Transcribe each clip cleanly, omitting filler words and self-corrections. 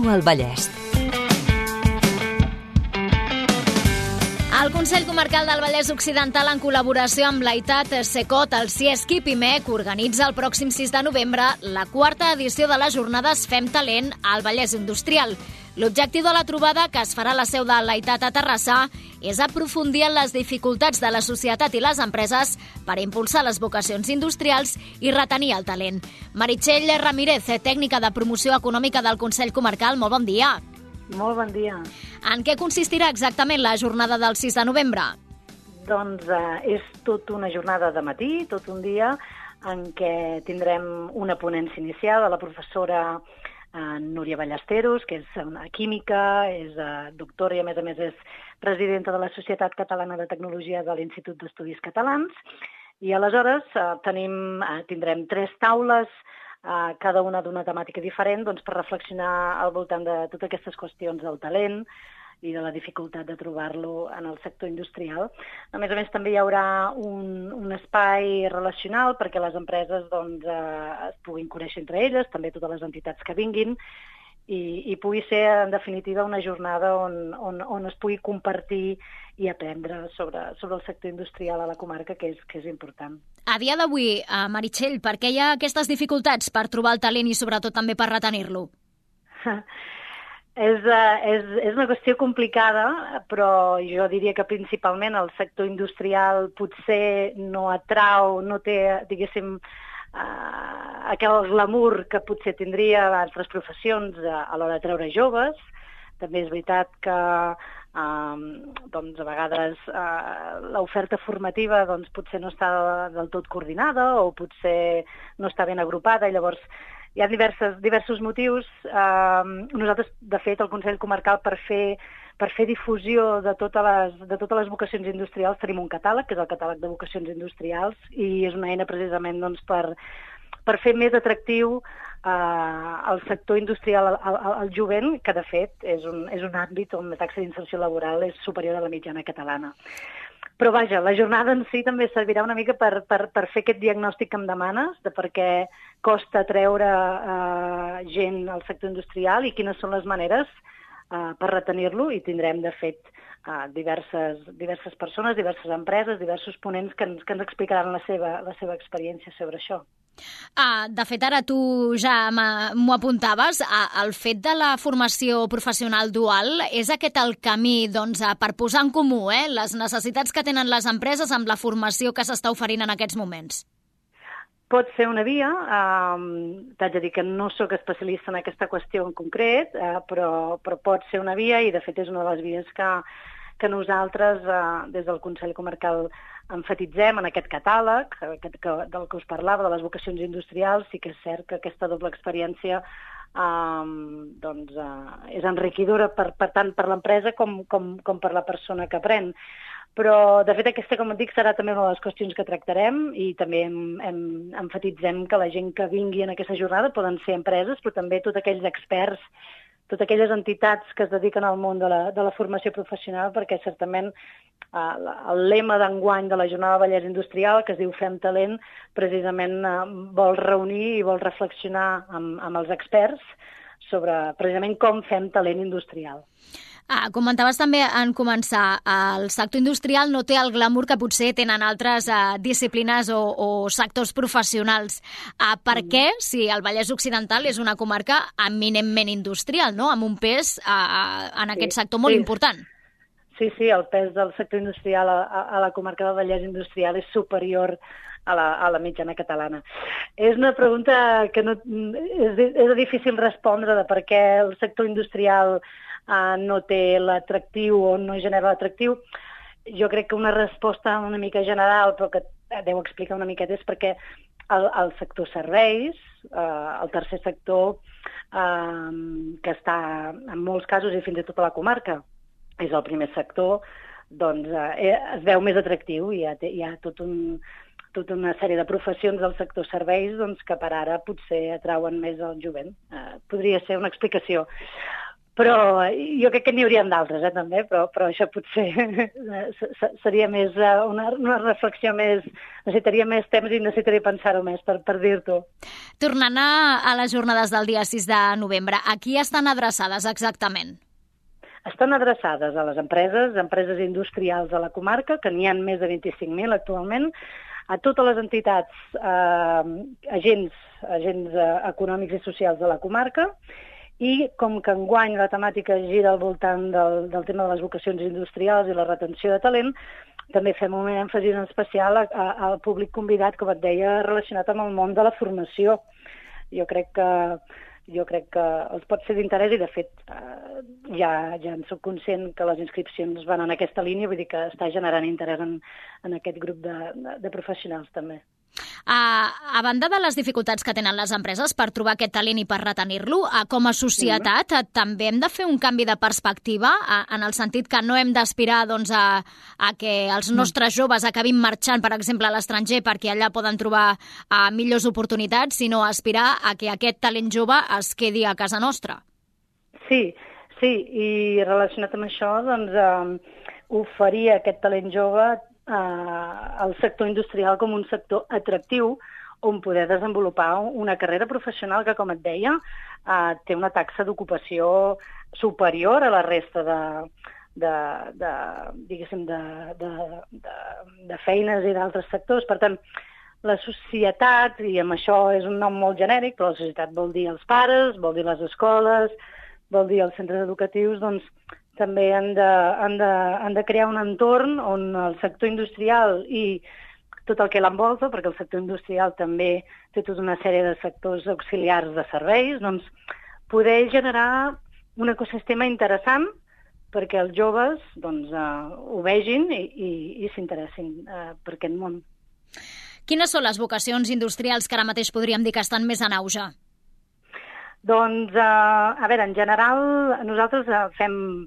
Viu el Vallès. El Consell Comarcal del Vallès Occidental, en col·laboració amb l'AITAT, SECOT, el CIESC i PIMEC, organitza el pròxim 6 de novembre la 4a edició de les jornades Fem Talent al Vallès Industrial. L'objectiu de la trobada, que es farà a la seu de l'AITAT a Terrassa, és aprofundir en les dificultats de la societat i les empreses per impulsar les vocacions industrials i retenir el talent. Meritxell Ramírez, tècnica de promoció econòmica del Consell Comarcal, molt bon dia. Molt bon dia. En què consistirà exactament la jornada del 6 de novembre? Doncs és tot una jornada de matí, tot un dia, en què tindrem una ponència inicial de la professora Núria Ballesteros, que és una química, és doctora i a més és presidenta de la Societat Catalana de Tecnologia de l'Institut d'Estudis Catalans. I aleshores tindrem 3 taules, cada una d'una temàtica diferent, per reflexionar al voltant de totes aquestes qüestions del talent i de la dificultat de trobar-lo en el sector industrial. A més, també hi haurà un espai relacional perquè les empreses es puguin conèixer entre elles, també totes les entitats que vinguin, i pugui ser, en definitiva, una jornada on es pugui compartir i aprendre sobre el sector industrial a la comarca, que és important. A dia d'avui, Meritxell, per què hi ha aquestes dificultats per trobar el talent i sobretot també per retenir-lo? És una qüestió complicada, però jo diria que principalment el sector industrial potser no atrau, no té, diguéssim, aquell glamour que potser tindria altres professions a l'hora de treure joves. També és veritat que a vegades l'oferta formativa potser no està del tot coordinada o potser no està ben agrupada, i llavors hi ha diversos motius. Nosaltres, de fet, el Consell Comarcal, per fer difusió de totes les vocacions industrials, tenim un catàleg, que és el catàleg de vocacions industrials, i és una eina precisament per fer més atractiu el sector industrial al jovent, que de fet és un àmbit on la taxa d'inserció laboral és superior a la mitjana catalana. Però vaja, la jornada en si també servirà una mica per fer aquest diagnòstic que em demanes, de per què costa treure gent al sector industrial i quines són les maneres per retenir-lo, i tindrem, de fet, diverses persones, diverses empreses, diversos ponents que ens explicaran la seva experiència sobre això. De fet, ara tu ja m'ho apuntaves, el fet de la formació professional dual és aquest el camí per posar en comú les necessitats que tenen les empreses amb la formació que s'està oferint en aquests moments? Pot ser una via. T'haig de dir que no sóc especialista en aquesta qüestió en concret, però pot ser una via, i de fet és una de les vies que nosaltres, des del Consell Comarcal, emfatitzem en aquest catàleg del que us parlava, de les vocacions industrials. Sí que és cert que aquesta doble experiència és enriquidora tant per l'empresa com per la persona que aprèn. Però, de fet, aquesta, com et dic, serà també una de les qüestions que tractarem, i també emfatitzem que la gent que vingui en aquesta jornada poden ser empreses, però també tots aquells experts, totes aquelles entitats que es dediquen al món de la formació professional, perquè certament el lema d'enguany de la Jornada Vallès Industrial, que es diu Fem Talent, precisament vol reunir i vol reflexionar amb els experts sobre precisament com fem talent industrial. Comentaves també en començar, el sector industrial no té el glamour que potser tenen altres disciplines o sectors professionals. Per què, si el Vallès Occidental és una comarca eminentment industrial, no?, amb un pes en aquest sector molt important? Sí, el pes del sector industrial a la comarca del Vallès Industrial és superior a la mitjana catalana. És una pregunta que és difícil respondre, de per què el sector industrial no té l'atractiu o no genera l'atractiu. Jo crec que una resposta una mica general, però que deu explicar una miqueta, és perquè el sector serveis, el tercer sector, que està en molts casos, i fins i tot a la comarca, és el primer sector, es veu més atractiu, i hi ha tota una sèrie de professions del sector serveis que per ara potser atrauen més el jovent. Podria ser una explicació. Però jo crec que n'hi haurien d'altres, també, però això potser seria més una reflexió més... Necessitaria més temps i necessitaria pensar-ho més per dir-t'ho. Tornant a les jornades del dia 6 de novembre, a qui estan adreçades exactament? Estan adreçades a les empreses industrials de la comarca, que n'hi ha més de 25.000 actualment, a totes les entitats, agents econòmics i socials de la comarca, i com que enguany la temàtica gira al voltant del tema de les vocacions industrials i la retenció de talent, també fem un èmfasi en especial al públic convidat, com et deia, relacionat amb el món de la formació. Jo crec que els pot ser d'interès i, de fet, ja en soc conscient que les inscripcions van en aquesta línia, vull dir que està generant interès en aquest grup de professionals, també. A banda de les dificultats que tenen les empreses per trobar aquest talent i per retenir-lo, com a societat també hem de fer un canvi de perspectiva, en el sentit que no hem d'aspirar a que els nostres joves acabin marxant, per exemple, a l'estranger perquè allà poden trobar millors oportunitats, sinó aspirar a que aquest talent jove es quedi a casa nostra. Sí, i relacionat amb això, oferir aquest talent jove al sector industrial com un sector atractiu on poder desenvolupar una carrera professional que, com et deia, té una taxa d'ocupació superior a la resta de feines i d'altres sectors. Per tant, la societat, i amb això és un nom molt genèric, però la societat vol dir els pares, vol dir les escoles, vol dir els centres educatius, doncs també han de crear un entorn on el sector industrial i tot el que l'envolta, perquè el sector industrial també té tota una sèrie de sectors auxiliars de serveis, doncs poder generar un ecosistema interessant perquè els joves ho vegin i s'interessin per aquest món. Quines són les vocacions industrials que ara mateix podríem dir que estan més en auge? Doncs, a veure, en general, nosaltres fem,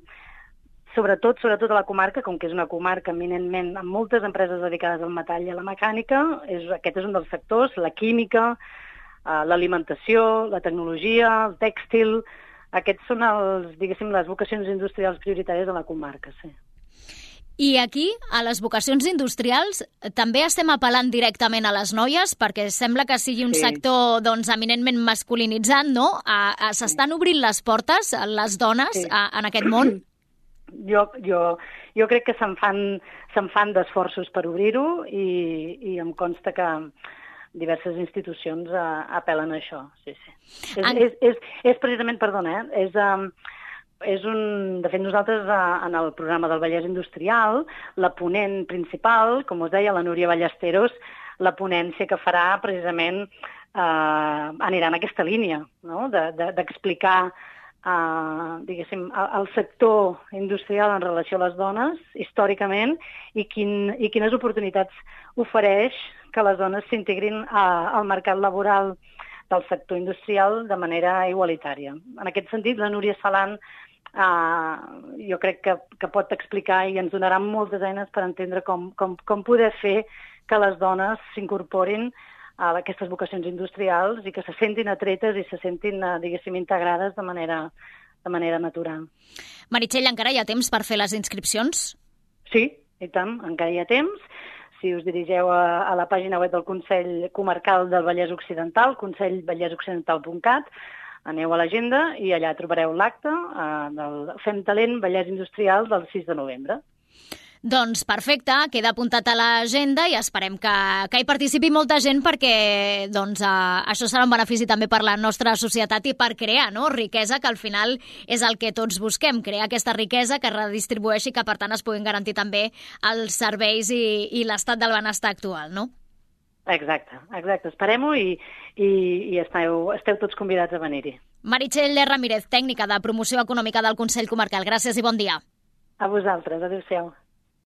sobretot a la comarca, com que és una comarca eminentment amb moltes empreses dedicades al metall i a la mecànica, aquest és un dels sectors, la química, l'alimentació, la tecnologia, el tèxtil, aquests són les vocacions industrials prioritàries de la comarca, sí. I aquí, a les vocacions industrials, també estem apel·lant directament a les noies, perquè sembla que sigui un sector eminentment masculinitzat, no? S'estan obrint les portes, les dones, en aquest món? Jo crec que se'n fan d'esforços per obrir-ho i em consta que diverses institucions apel·len a això, sí. És precisament, perdona, de fet, nosaltres en el programa del Vallès Industrial, la ponent principal, com us deia, la Núria Ballesteros, la ponència que farà precisament anirà en aquesta línia, no? D'explicar diguéssim, el sector industrial en relació a les dones, històricament, i quines oportunitats ofereix que les dones s'integrin al mercat laboral del sector industrial de manera igualitària. En aquest sentit, la Núria Salant jo crec que pot explicar i ens donarà moltes eines per entendre com poder fer que les dones s'incorporin a aquestes vocacions industrials i que se sentin atretes i se sentin, diguéssim, integrades de manera natural. Meritxell, encara hi ha temps per fer les inscripcions? Sí, i tant, encara hi ha temps. Si us dirigeu a la pàgina web del Consell Comarcal del Vallès Occidental, consellvallèsoccidental.cat, aneu a l'agenda i allà trobareu l'acte del Fem Talent Vallès Industrial del 6 de novembre. Doncs perfecte, queda apuntat a l'agenda i esperem que hi participi molta gent perquè això serà un benefici també per la nostra societat i per crear riquesa, que al final és el que tots busquem, crear aquesta riquesa que redistribueixi i que per tant es puguin garantir també els serveis i l'estat del benestar actual, no? Exacte. Esperem-ho i esteu tots convidats a venir-hi. Meritxell Ramírez, tècnica de promoció econòmica del Consell Comarcal. Gràcies i bon dia. A vosaltres. Adéu-siau.